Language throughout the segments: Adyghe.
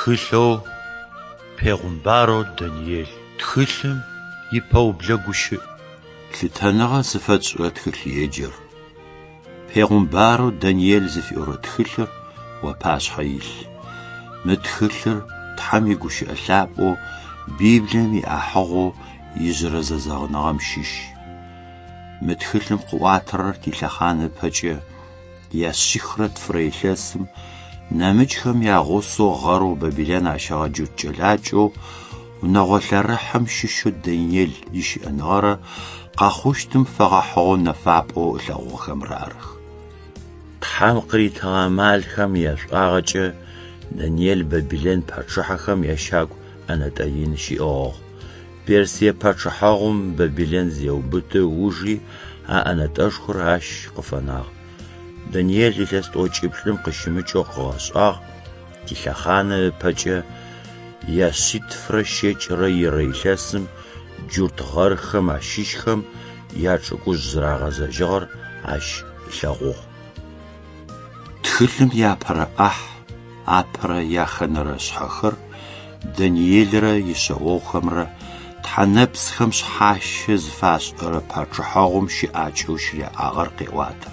Тхылъэу Пегъумбарэу Даниел тхылъым ипэублэ гущыӏ. Лъытэныгъэ зыфэтшӏырэ тхылъеджэр, Пегъумбарэу Даниел зыфиӏорэ тхылъыр уапашъхьэ илъ. Мы тхылъыр Тхьэм игущыӏэ лъапӏэу Библием иӏахьыгъэу ижъырэ зэзэгъыныгъэм щыщ. Мы тхылъым къыӏуатэрэр тилъэхъан ыпэкӏэ я 102-рэ илъэсым нэмыкӏхэм ягъусэу гъэрэу Бабилэн ащэгъэ джурт кӏэлакӏэу унэгъо лъэрыхьым щыщэу Даниел ищыӏэныгъэрэ къэхъущтым фэгъэхьыгъэу нэфапӏэу ылъэгъугъэхэмрэ арых. Тхьэм къыритыгъэ амалхэм яшӏуагъэкӏэ Даниел Бабилэн пачъыхьэхэм ящагу ӏэнэтӏэ ин щиӏыгъыгъ. Персие пачъыхьэгъум Бабилэн зеубыты ыужи а ӏэнэтӏэшхор ащ къыфэнагъ. Даниел илъэс тӏокӏиплӏым къыщымыкӏэу къыгъэшӏагъ, тилъэхъанэ ыпэкӏэ я 792-рэ илъэсым джурт гъэрхэм ащыщхэм ячӏыгужъ зэрагъэзэжьыгъэр ащ ылъэгъугъ. Тхылъым иапэрэ ӏахь, апэрэ яхэнэрэ шъхьэхэр Даниелрэ ишъэогъухэмрэ тхьэ нэпцӏхэм шъхьащэ зыфашӏырэ пачъыхьэгъум щыӏакӏэу щыряӏагъэр къеӏуатэ.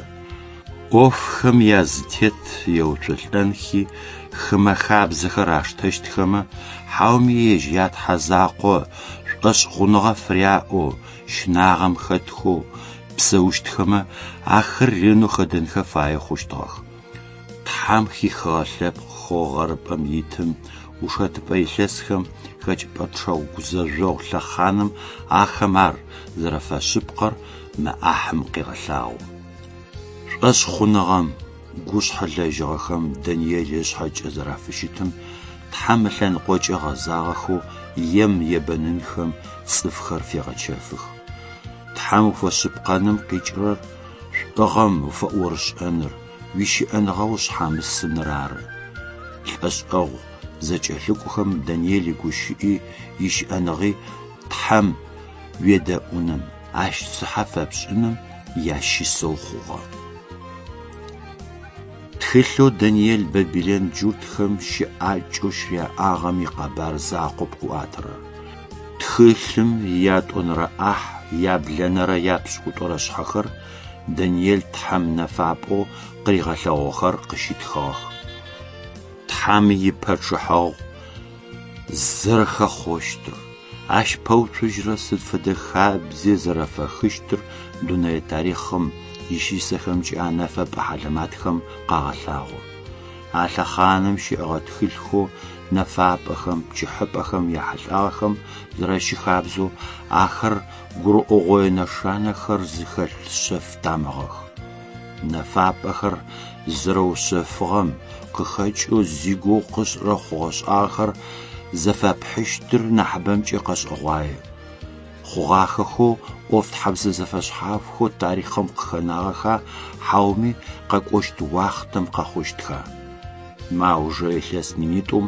Ӏофхэм язытет еуцолӏэнхи хымэ хабзэхэр аштэщтхэмэ, хьауми ежь ятхьэ закъо шӏошъхъуныгъэ фыряӏэу щынагъэм хэтхэу псэущтхэмэ, ахэр ренэу хэдэнхэ фае хъущтыгъэх. Тхьэм хихыгъэ лъэпкъхэу гъэрыпӏэм итым ушэтыпӏэ илъэсхэм хэкӏыпӏэ гузэжъогъу лъэхъаным ахэм ар зэрэфэшъыпкъэр мы ӏахьым къегъэлъагъо. Шӏошъхъуныгъэм гушъхьэ лэжьыгъэхэм Даниел ышъхьэкӏэ зэрафыщытым Тхьэм ылъэныкъокӏэ гъэзагъэхэу ем ебэнынхэм цӏыфхэр фегъэчэфых. Тхьэм уфэшъыпкъэным къикӏырэр шӏугъэм уфэӏорышӏэныр, уищыӏэныгъэ ушъхьамысыныр ары. Лӏэшӏэгъу зэкӏэлъыкӏохэм Даниел игущыӏи ищыӏэныгъи Тхьэм уедэӏуным, ащ цыхьэ фэпшӏыным ящысэу хъугъэ. Тхылъэу Даниел Бабилэн джуртхэм щыӏакӏэу щыряӏагъэм икъэбар закъоп къыӏуатэрэр. Тхылъым ятӏонэрэ ӏахь, яблэнэрэ япшӏыкӏутӏурэ шъхьэхэр Даниел Тхьэм нэфапӏэу къыригъэлъэгъугъэхэр къыщитхыгъэх. Тхьэм ипачъыхьэгъу зэрэхэхъощтыр, ащ пэуцужьырэ сыд фэдэ хабзе зэрэфэхыщтыр дунэе тарихъым ищысэхэмкӏэ а нэфэпӏэ хьалэматхэм къагъэлъагъо. А лъэхъаным щыӏэгъэ тхылъхэу нэфапӏэхэм, пчыхьыпӏэхэм яхьылӏагъэхэм зэрэщыхабзэу ахэр гурыӏогъое нэшанэхэр зыхэлъ шъэф тамыгъэх. Нэфапӏэхэр зэрэушъэфыгъэм къыхэкӏэу зигугъу къышӏырэ хъугъэ-шӏагъэхэр зэфэпхьыщтыр нахьыбэмкӏэ къэшӏэгъуае. Хъугъахэхэу ӏофтхьэбзэ зэфэшъхьафхэу тарихъым къыхэнагъэха, хьауми къэкӏощт уахътэм къэхъущтха? Мы аужырэ илъэс минитӏум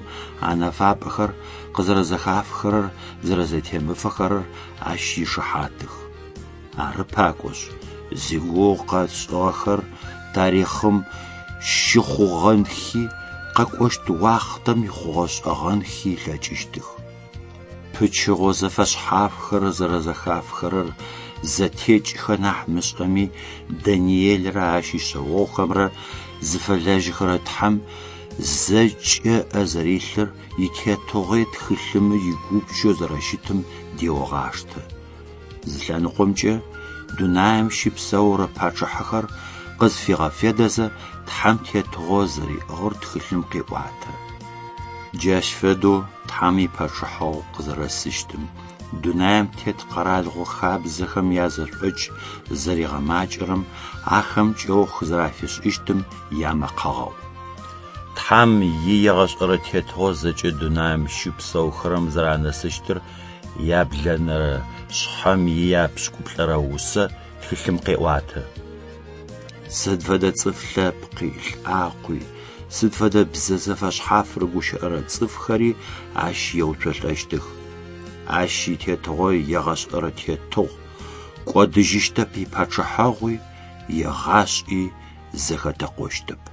а нэфапӏэхэр къызэрэзэхафхэрэр зэрэзэтемыфэхэрэр ащ ишыхьатых. Ары пакӏошъ, зигугъу къэтшӏыгъэхэр тарихъым щыхъугъэнхи, къэкӏощт уахътэм ихъугъэ-шӏэгъэнхи ылъэкӏыщтых. Пычыгъо зэфэшъхьафхэр зэрэзэхафхэрэр зэтекӏхэ нахь мышӏэми, Даниелрэ ащ ишъэогъухэмрэ зыфэлэжьыхэрэ Тхьэм зэкӏэ ыӏэ зэрилъыр итетыгъуи тхылъым игупчэу зэрэщытым деогъаштэ. Зы лъэныкъомкӏэ дунаим щыпсэурэ пачъыхьэхэр къызфигъэфедэзэ Тхьэм тетыгъо зэриӏыгъыр тхылъым къеӏуатэ. Джащ фэдэу Тхьэм ипачъыхьэгъу къызэрэсыщтым, дунаим тет къэралыгъо хабзэхэм язэшӏокӏ зэригъэмакӏэрэм ахэм кӏэух зэрафишӏыщтым ямэкъэгъэу. Тхьэм иегъэшӏэрэ тетыгъо зэкӏэ дунаим щыпсэухэрэм зэранэсыщтыр яблэнэрэ шъхьэм ияпшӏыкӏуплӏэрэ усэ тхылъым къеӏуатэ. Сыд фэдэ цӏыф лъэпкъи, лӏакъуи, сыд фэдэ бзэ зэфэшъхьаф рыгущыӏэрэ цӏыфхэри ащ еуцолӏэщтых. Ащ итетыгъо егъэшӏэрэ тетыгъу, кӏодыжьыщтэп ипачъыхьэгъуи, егъашӏи зэхэтэкъощтэп.